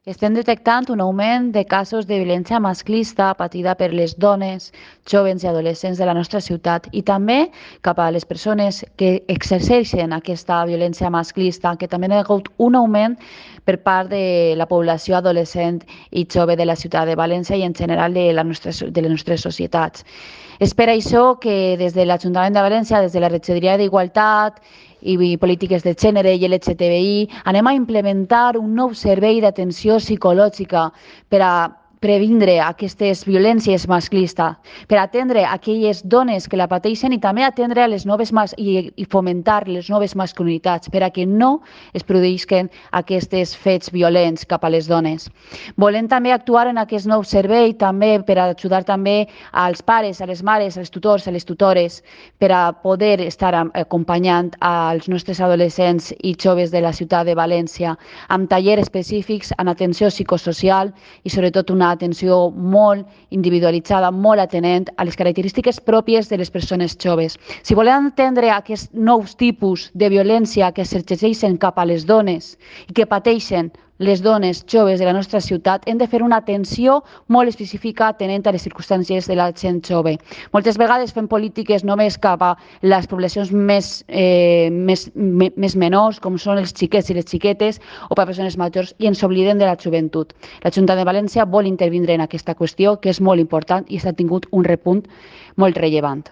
Estem detectant un augment de casos de violència masclista patida per les dones, jovens i adolescents de la nostra ciutat i també cap a les persones que exerceixen aquesta violència masclista, que també hi ha hagut un augment per part de la població adolescent i jove de la ciutat de València i en general de les nostres societats. És per això que des de l'Ajuntament de València, des de la Regidoria d'Igualtat i polítiques de gènere i LGTBI, anem a implementar un nou servei d'atenció psicològica per a previndre aquestes violències masclistes, per atendre aquelles dones que la pateixen i també atendre a les noves i fomentar les noves masculinitats per a que no es produïsquen aquests fets violents cap a les dones. Volem també actuar en aquest nou servei també per ajudar també als pares, a les mares, als tutors, a les tutores, per a poder estar acompanyant als nostres adolescents i joves de la ciutat de València amb tallers específics en atenció psicosocial i sobretot una atenció molt individualitzada, molt atenent a les característiques pròpies de les persones joves. Si volem entendre aquests nous tipus de violència que s'exerceixen cap a les dones i que pateixen les dones joves de la nostra ciutat, hem de fer una atenció molt específica atenent a les circumstàncies de la gent jove. Moltes vegades fem polítiques només cap a les poblacions més menors, com són els xiquets i les xiquetes, o per a persones majors, i ens oblidem de la joventut. La Junta de València vol intervindre en aquesta qüestió, que és molt important i s'ha tingut un repunt molt rellevant.